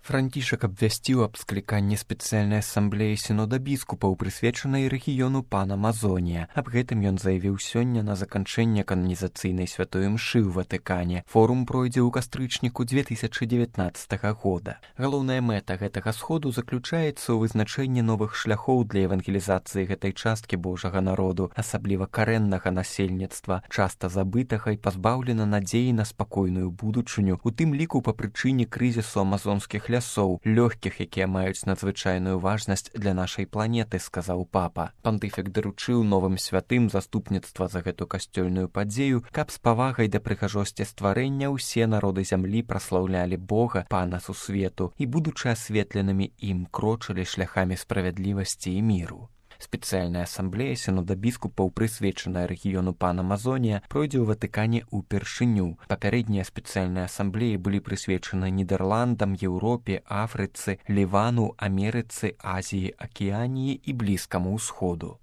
Францішак абвясціў аб скліканні спецыяльнай асамблеі сінода біскупаў, прысвечанай рэгіёну Панамазонія. Аб гэтым ён заявіў сёння на заканчэнне кананізацыйнай святой імшы ў Ватыкане. Форум пройдзе ў кастрычніку 2019 года. Галоўная мэта гэтага сходу заключаецца ў вызначэнні новых шляхоў для евангелізацыі гэтай часткі Божага народу, асабліва карэннага насельніцтва, часта забытага і пазбаўлена надзеі на спакойную будучыню, у тым ліку па прычыне крызісу амазонскіх лясоў, лёгкіх, якія маюць надзвычайную важнасць для нашай планеты, сказаў папа. Пантыфік даручыў новым святым заступніцтва за гэту касцёльную падзею, каб з павагай да прыгажосці стварэння ўсе народы зямлі праслаўлялі Бога, Пана сусвету, і, будучы асветленымі ім, крочылі шляхамі справядлівасці і міру. Спецыяльная асамблея сінода біскупаў, прысвечаная рэгіёну Панамазонія, пройдзе ў Ватыкане ўпершыню. Папярэднія спецыяльныя асамблеі былі прысвечаны Нідерландам, Еўропе, Афрыцы, Лівану, Амерыцы, Азіі, Акіяніі і Блізкаму ўсходу.